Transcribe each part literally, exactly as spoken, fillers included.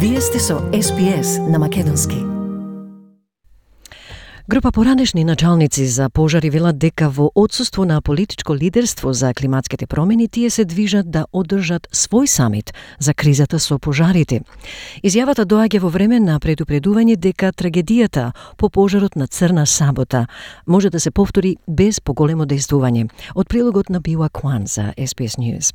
Вие сте со Ес Би Ес на Македонски. Група поранешни началници за пожари велат дека во отсуство на политичко лидерство за климатските промени тие се движат да одржат свој самит за кризата со пожарите. Изјавата доаѓа во време на предупредување дека трагедијата по пожарот на Црна Сабота може да се повтори без поголемо дејствување. Од прилогот на Била Куан за Ес Би Ес News.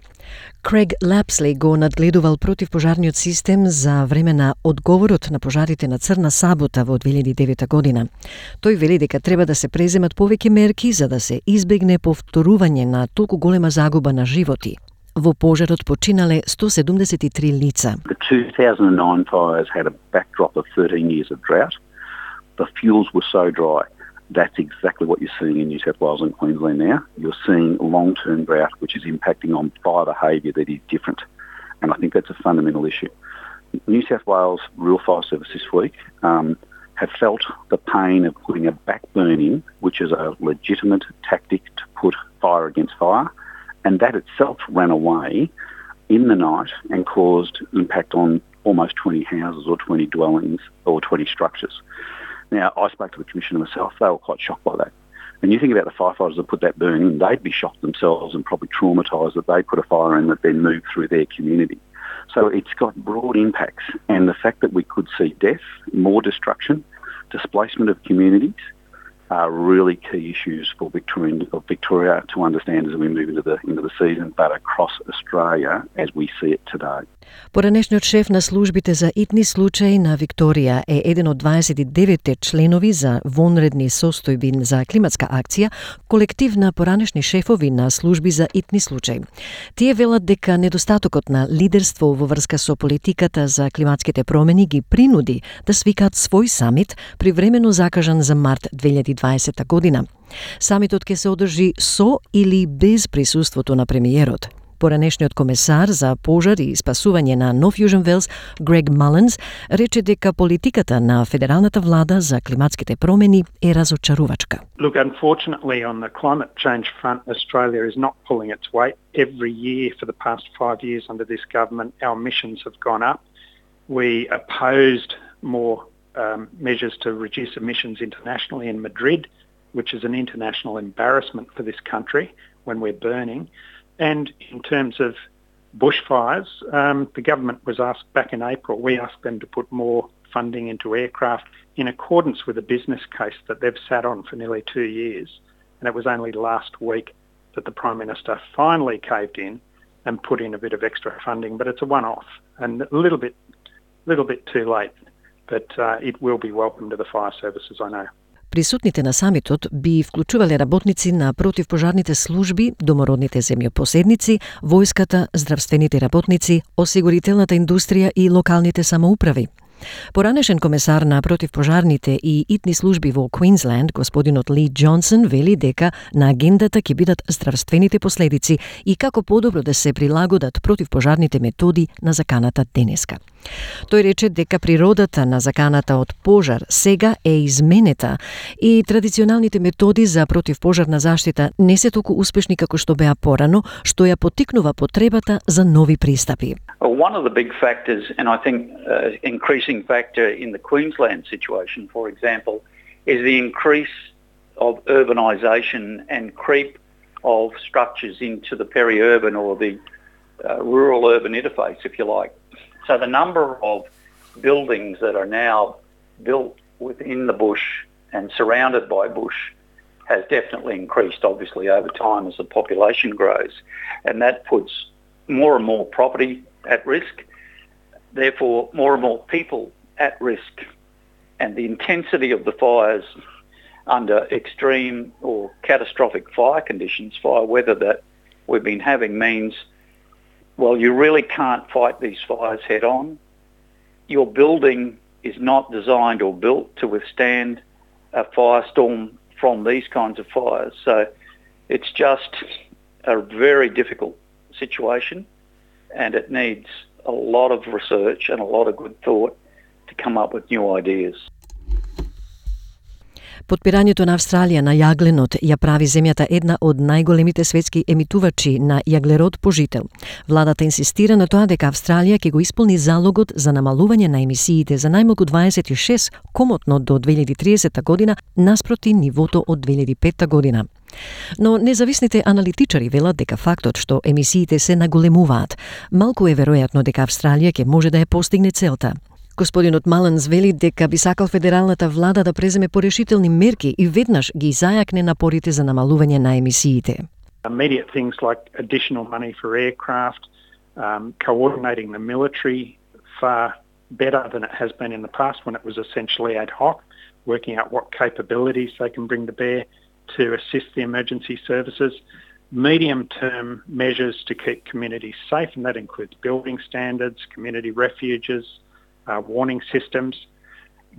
Крейг Лапсли го надгледувал противпожарниот систем за време на одговорот на пожарите на Црна Сабота во две илјади и девета година. Тој вели дека треба да се преземат повеќе мерки за да се избегне повторување на толку голема загуба на животи. Во пожарот починале сто седумдесет и три лица. The two thousand nine fires had a backdrop of thirteen years of drought. The fuels were so dry. That's exactly what you're seeing in New South Wales and Queensland now. You're seeing long-term drought, which is impacting on fire behaviour that is different. And I think that's a fundamental issue. New South Wales Rural Fire Service this week um, have felt the pain of putting a backburn in, which is a legitimate tactic to put fire against fire, and that itself ran away in the night and caused impact on almost twenty houses or twenty dwellings or twenty structures. Now, I spoke to the Commissioner myself. They were quite shocked by that. And you think about the firefighters that put that burn in, they'd be shocked themselves and probably traumatised that they put a fire in that then moved through their community. So it's got broad impacts, and the fact that we could see death, more destruction, displacement of communities are really key issues for Victoria, of Victoria to understand as we move into the into the season, but across Australia as we see it today. Поранешниот шеф на службите за итни случаи на Викторија е еден од дваесет и деветте членови за вонредни состојби за климатска акција, колектив на поранешни шефови на служби за итни случаи. Тие велат дека недостатокот на лидерство во врска со политиката за климатските промени ги принуди да свикаат свој самит, привремено закажан за март две илјади и дваесета година. Самитот ќе се одржи со или без присуството на премиерот. Поранешниот комесар за пожар и спасување на Нов Јужен Велс, Грег Малинс, рече дека политиката на федералната влада за климатските промени е разочарувачка. Look, unfortunately on the climate change front, Australia is not pulling its weight. Every year for the past five years under this government, our emissions have gone up. We opposed more um, measures to reduce emissions internationally in Madrid, which is an international embarrassment for this country when we're burning. And in terms of bushfires, um, the government was asked back in April, we asked them to put more funding into aircraft in accordance with a business case that they've sat on for nearly two years. And it was only last week that the Prime Minister finally caved in and put in a bit of extra funding, but it's a one-off and a little bit, little bit too late. But uh, it will be welcome to the fire services, I know. Присутните на самитот би вклучувале работници на противпожарните служби, домородните земјопоседници, војската, здравствените работници, осигурителната индустрија и локалните самоуправи. Поранешен комесар на противпожарните и итни служби во Квинсленд, господинот Ли Џонсон, вели дека на агендата ќе бидат здравствените последици и како подобро да се прилагодат противпожарните методи на заканата денеска. Тој рече дека природата на заканата од пожар сега е изменета и традиционалните методи за противпожарна заштита не се толку успешни како што беа порано, што ја поттикнува потребата за нови пристапи. One of the big factors, and I think uh, increasing factor in the Queensland situation, for example, is the increase of urbanisation and creep of structures into the peri-urban or the uh, rural-urban interface, if you like. So the number of buildings that are now built within the bush and surrounded by bush has definitely increased, obviously, over time as the population grows. And that puts more and more property at risk, therefore more and more people at risk. And the intensity of the fires under extreme or catastrophic fire conditions, fire weather that we've been having means, well, you really can't fight these fires head on. Your building is not designed or built to withstand a firestorm from these kinds of fires. So it's just a very difficult situation, and it needs a lot of research and a lot of good thought to come up with new ideas. Потпирањето на Австралија на јагленот ја прави земјата една од најголемите светски емитувачи на јаглерод по жител. Владата инсистира на тоа дека Австралија ќе го исполни залогот за намалување на емисиите за најмалку дваесет и шест комотно до две илјади и триесета година наспроти нивото од две илјади и петта година. Но независните аналитичари велат дека фактот што емисиите се наголемуваат, малку е веројатно дека Австралија ќе може да ја постигне целта. Господинот Маланс вели дека би сакал федералната влада да преземе порешителни мерки и веднаш ги зајакне напорите за намалување на емисиите. Immediate things like additional money for aircraft, um, coordinating the military far better than it has been in the past when it was essentially ad hoc, working out what capabilities they can bring to bear to assist the emergency services. Medium-term measures to keep communities safe, and that includes building standards, community refuges, Uh, warning systems.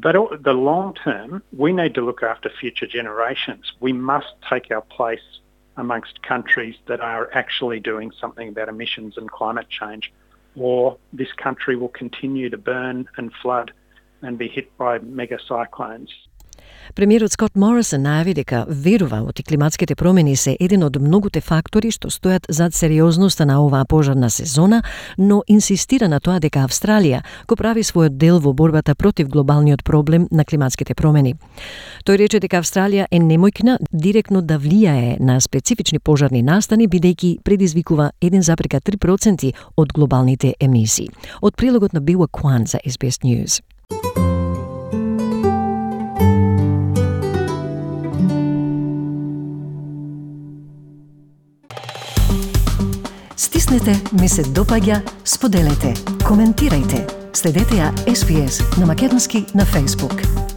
But the long term, we need to look after future generations. We must take our place amongst countries that are actually doing something about emissions and climate change, or this country will continue to burn and flood and be hit by mega cyclones. Премиерот Скот Морисон најави дека верува оти климатските промени се еден од многуте фактори што стојат зад сериозноста на оваа пожарна сезона, но инсистира на тоа дека Австралија го прави својот дел во борбата против глобалниот проблем на климатските промени. Тој рече дека Австралија е немојкна директно да влијае на специфични пожарни настани, бидејќи предизвикува еден зарез три проценти од глобалните емисии. Од прилогот на Biwa Kwan за Ес Би Ес News. Стиснете, ми се допаѓа, споделете, коментирајте. Следете ја Ес Би Ес на македонски на Facebook.